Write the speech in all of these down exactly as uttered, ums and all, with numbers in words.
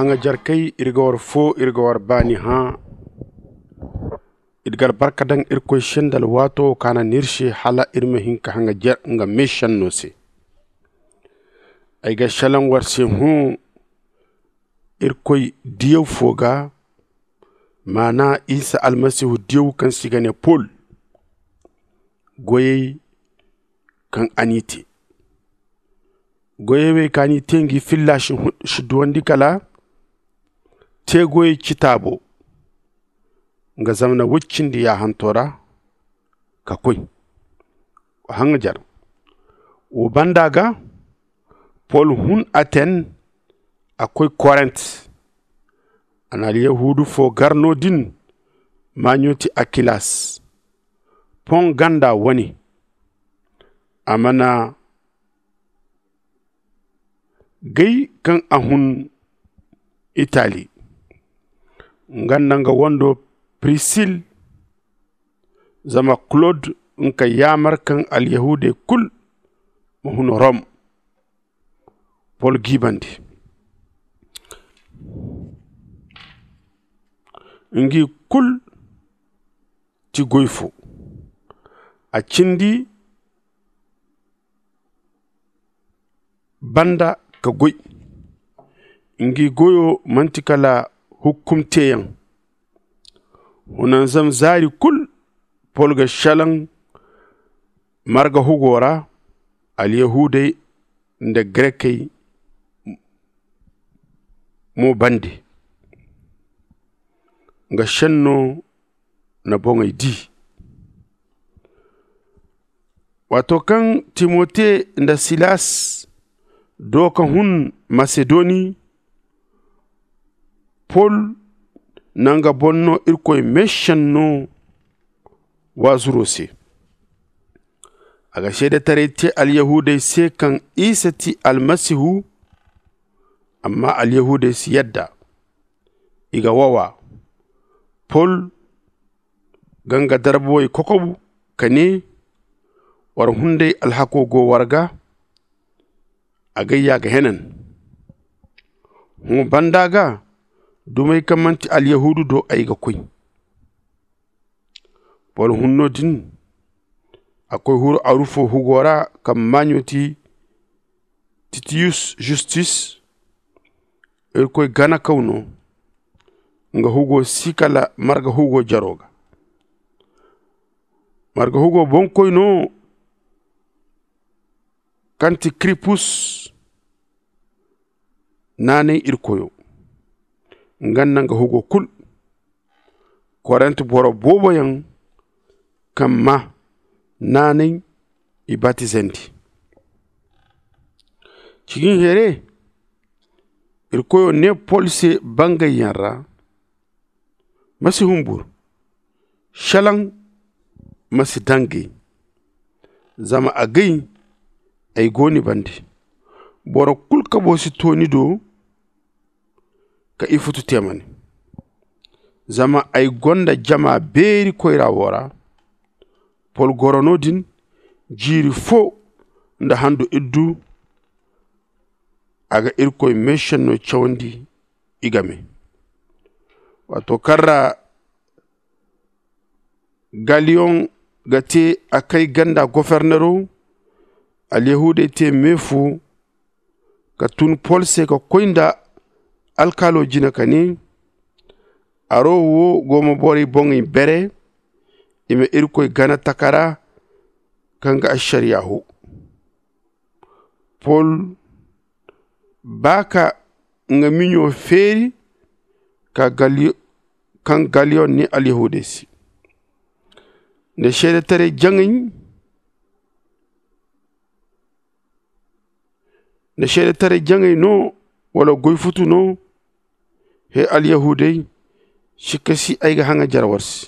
Haŋajarkey, iri ga war foo, iri ga war baani hã. Iri ga albarka daŋ Irkoy se nda alwaato wo kaŋ a na n'iri se hala iri ma hin ka haŋajar nga meešenno se. Ay ga salaŋ war se hõ Irkoy diyaw foo ga, maana Isa Almasihu diyaw kaŋ se i ga nee Pol. Goyey kaŋ a n'i tee. Goyey wey kaŋ a n'i tee ngi filla si duwandi kala teegoyey citaabo nga zamana woy cindi yaahanto ra ka koy haŋajar. Wo banda ga Pol hun Aten a koy Korint. A na alyahuudu foo gar no- din. Maaɲo ti Akilas poŋ ganda wane. A mana gay kaŋ a hun Itali nga nda nga wando Prisil. Zama Klod nga ka yaamar kaŋ alyahuudey kul ma hun Rom. Pol giibandi ngi kul ti goy foo. A cindi banda ka goy. Ngi goyo manti kala hukkum teeyaŋ. Hunanzam zaari kul Pol ga salaŋ marga hugo ra. Alyahuudey nda Garekey mo bande nga šenno na boŋey di. Waato kaŋ Timote nda Silas doo ka hun Masedoni, Pol na nga boŋ no Irkoy meešenno waazuro se. A ga seedetaray te alyahuudey se kaŋ Isa ti Almasihu. Amma alyahuudey si yadda. I ga wawa. Pol ga nga darbowey kokobu ka nee, war hunday alhako go war ga. Agay ya ga henan. Hõ banda ga dumey kaŋ manti alyahuudu do ay ga koy. Pol hun no- din a koy huru arufo hugo ra kaŋ maaɲo ti titiyus justus. Irkoy ganakaw no. Nga hugo si kala marga hugo jaro ga. Marga hugo boŋkoy no kaŋ ti kiripus. Naanay irkoyo nga nda nga hugo kul. Korint boro booboyaŋ kaŋ maa naanay i batizandi. Cikin here irkoyo ne pol se bangayyaŋ ra, ma si humbur. Šelaŋ ma si daŋ gay. Zama agay ay go ni bande. Boro kul kabo si to ni do ka ifutu te ma ne. Zama ay gonda jama beeri koyra wo ra. Pol goro no- din jiiri fo nda handu iddu. A ga irkoy meešenno cawandi i game. Waato kaŋ ra galiyoŋ ga te a kay ganda gofornero, alyahuudey te meefo ka tun pol se ka koy nda alkaalo jine ka ne, aro wo go ma borey boŋey bere. I ma irkoy gana takara kaŋ ga ašariya ho. Pol ba ka nga miɲo feeri kaŋ galiyoŋ ne alyahuudey se nda seedetaray jaŋay. Nda seedetaray jaŋay no wala goy futu no? He alyahuudey, sikka si ay ga haŋajar war se.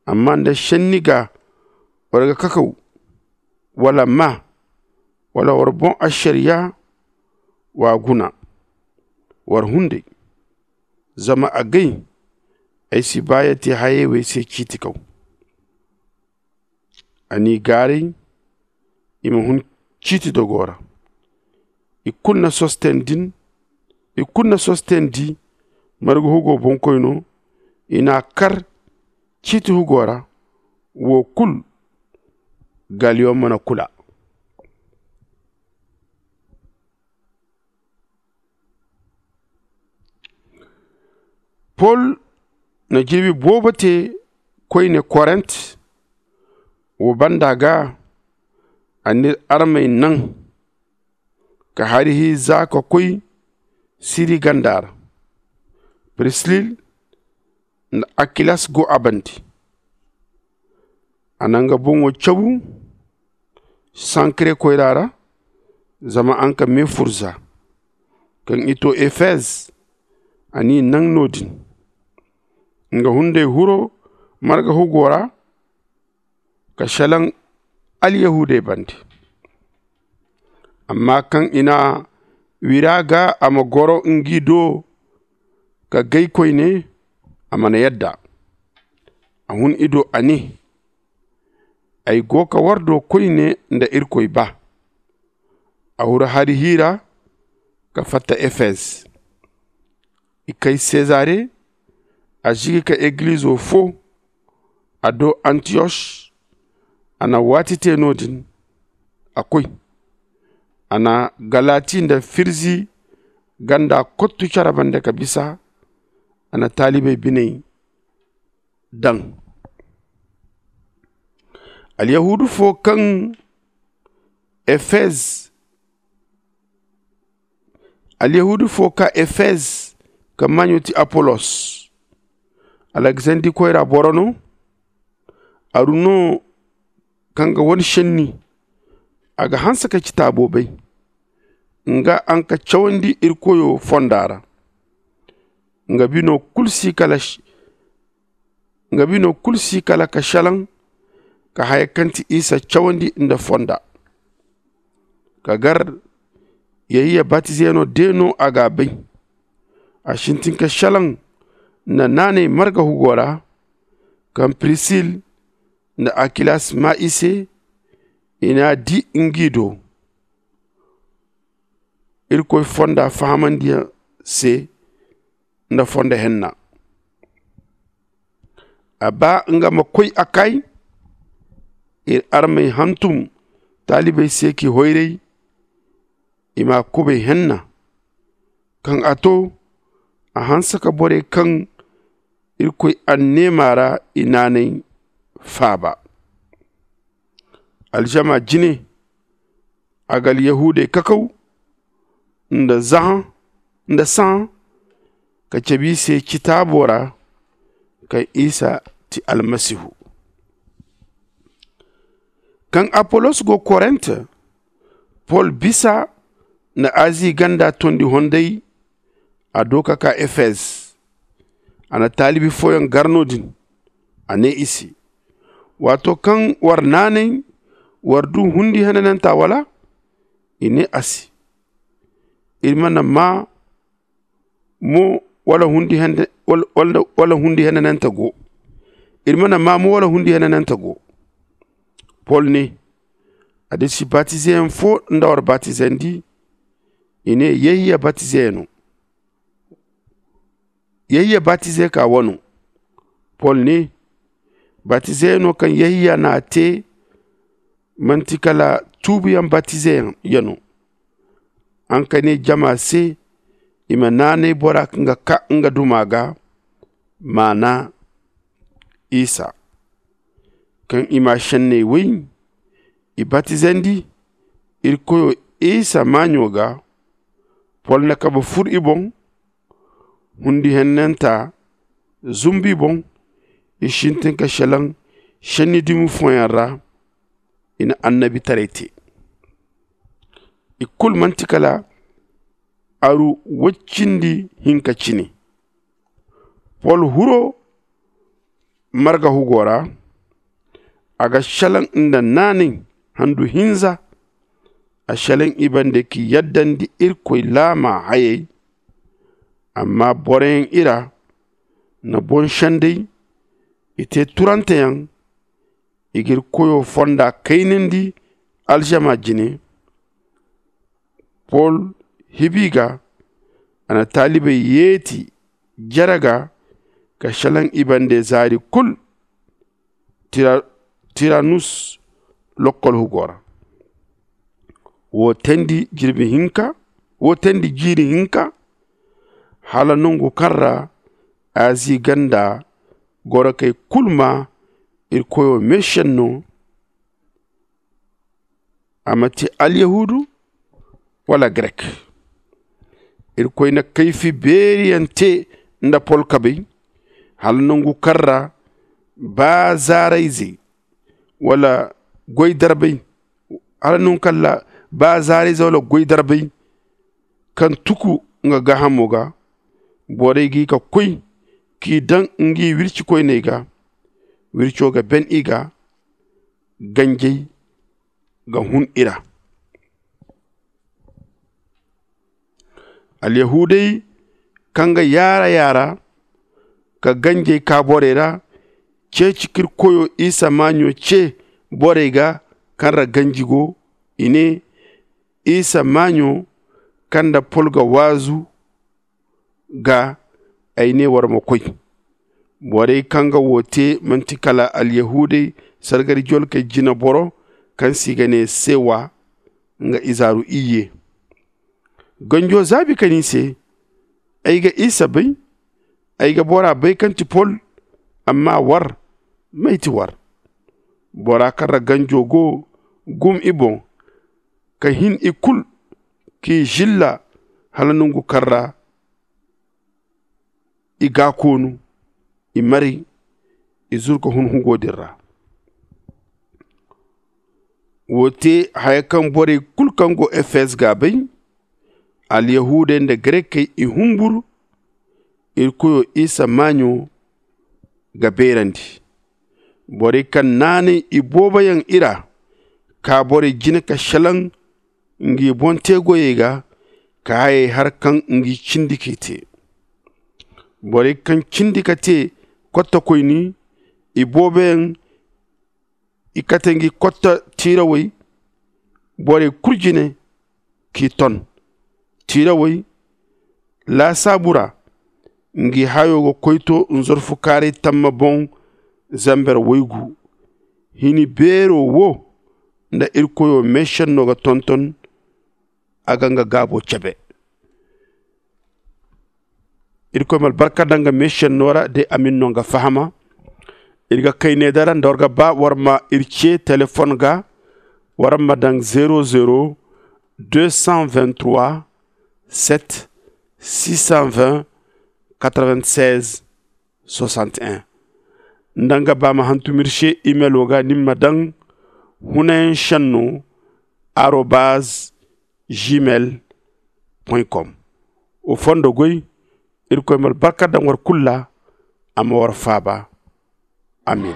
Amma nda senni ga war ga kakaw wala maa wala war boŋ ašariya, wa guna war hunday. Zama agay ay si ba ya te hayey wey se ciiti kaw. A n'i gaaray i ma hun ciiti dogo ra. I kulu na sosten din I kulu na sostendi marga hugo boŋkoyno. I n'a kar ciiti hugo ra. Wo kulu galiyon mana kula. Pol na jirbi boobo te koyne korent. Wo banda ga a n'iri armey naŋ ka hari hi za ka koy siri ganda ra. Prisil nda akilas go a bande. A na nga boŋo cabu sankre koyra ra zama a nga me furza. Kaŋ i to efez a n'i naŋ no-din. Nga hunday huro marga hugo ra ka selaŋ alyahuudey bande. Amma kaŋ i n'a wira ga a ma goro ngi do ka gay koyne, a mana yadda. A hun i do a ne, ay go ka war do koyne nda irkoy ba. A huru hari hiira ka fatta efez. I kay sezare. A zigi ka egilizo fo a do antiyos. A na waati te no-din a koy. A na galati nda firzi ganda kottu care bande ka bisa. A na taalibey biney daŋ. Alyahuudu fo kaŋ efez alyahuudu fo ka efez kaŋ maaɲo ti apolos, alexandi koyra boro no. Aru no kaŋ ga wane senni. A ga hanse ka ci taabo bay. Nga a nga cawandi iri koyo fonda ra. Nga bino kulu si kala nga bino kulu si kala ka selaŋ ka haya kaŋ ti isa cawandi nda fonda. Ka gar yehiya batizeyaŋo de no a ga a bay. A sintin ka selaŋ nda naanay marga hugo ra. Kaŋ prisil nda akilas maa i se i n'a di ngi do. Irkoy fonda fahamandiyaŋ se nda fondo henna. A ba nga ma koy a kay. Iri armey hantum taalibey se k'i hoyray. I m'a kubay henna. Kaŋ a to a hanse ka borey kaŋ irkoy anneema ra i naanay faaba. Aljama jine a ga alyahuudey kakaw nda zahã nda sahã ka cabe i se citaabo ra kaŋ isa ti almasihu. Kaŋ apolos go korent pol bisa nda azi ganda tondi honday. A do ka ka efez. A na taalibi fooyaŋ gar no-din. A ne i se, waato kaŋ war naanay war du hundi henananta wala? I ne a se, iri mana maa mo wala hundi henananta go. Iri mana maa mo wala hundi henananta go. Pol ne, adisi batizeyaŋ fo nda war batizandi? I ne, yehiya batizeyaŋo. Yehiya batize ka wano. Pol ne, batizeyaŋo kaŋ yehiya n'a te manti kala tuubuyaŋ batizeyaŋo. A nga ka ne jama se i ma naanay bora kaŋ ga ka nga duma ga maana isa. Kaŋ i ma senney way i batizandi iri koyo isa maaɲo ga. Pol na kabe fur i boŋ. Hundi hennanta zumbu i boŋ. I sintin ka selaŋ senni dumi fooyaŋ ra. I na annabitaray te. I kulu manti kala aru woy cindi hinka cine. Pol huro marga hugo ra. A ga selaŋ nda naanay handu hinza. A selaŋ i bande k'i yaddandi irkoy laama hayey. Amma boroyaŋ ira na boŋ senday. I te turanteyaŋ. I g'iri koyo fonda kaynandi aljama jine. Pol hibi ga A na taalibey yeeti jere ga ka šelaŋ i bande zaari kul. Tiranus lokkol hugo ra. Wo teendi jiiri hinka hala nongu kaŋ ra azi ganda gorokey kul maa irkoyo meešenno. A ma ti alyahuudu wala grek. Irkoy na kayfi beeriyaŋ te nda pol kabey hala nongu kaŋ ra baazaarayzey wala goydarbey hala nongu kaŋ ra baazaarayzey wala goydarbey kaŋ tuku nga gaahamo ga. Borey g'i ka koy k'i daŋ ngi wircikoyney ga. Wirco ga ben i ga. Ganjey ga hun i ra. Alyahuudey kaŋ ga yaara yaara ka ganjey kaa borey ra ceeci k'irkoyo isa maaɲo ce borey ga kaŋ ra ganji go. I ne isa maaɲo kaŋ nda pol ga waazu ga ay ne war ma koy. Borey kaŋ ga wo te manti kala alyahuudey sargari jolkey jineboro kaŋ se i ga ne sewa nga izaaru iyye. Ganjo zaabi ka ne i se, ay ga isa bay. Ay ga bora bay kaŋ ti pol. Amma war, may ti war? Bora kaŋ ra ganjo go gum i boŋ ka hin i kul k'i zilla hala nongu kaŋ ra i gaakoonu i maray i zuru ka hun hugo din ra. Wo te haya kaŋ borey kul kaŋ go efes ga a bay. Alyahuudey nda grekey i humburu. Irkoyo isa maaɲo ga beerandi. Borey kaŋ naanay i booboyaŋ i ra kaa borey jine ka šelaŋ ngi boŋ te goyey ga ka hayey har kaŋ ngi cindi k'i te. Borey kaŋ cindi ka te kottokoyni i booboyaŋ i kate ngi kotta tiirawey borey kul jine k'i ton. Tiirawey laasaabu ra ngi hayo ga koy to nzorfukaaray tamma boŋ zamber waygu. Hini beero wo nda irkoyo meešenno ga tonton. A ga nga gaabo cebe. Irkoy ma albarka daŋ nga meešenno ra day a ma ni no nga fahama. Iri ga kay ne dara nda war ga ba war ma iri ce telefon ga. War ma daŋ zero zero deux cent vingt trois sept six cent vingt quatre vingt seize soixante un. Nda nga ba ma hantum iri se imelo ga ni ma daŋ hunayaŋ šenno arobaz gmail point com. Wa fondo goy. Irkoy ma albarka daŋ war kulu ra. A ma war faaba. Amin.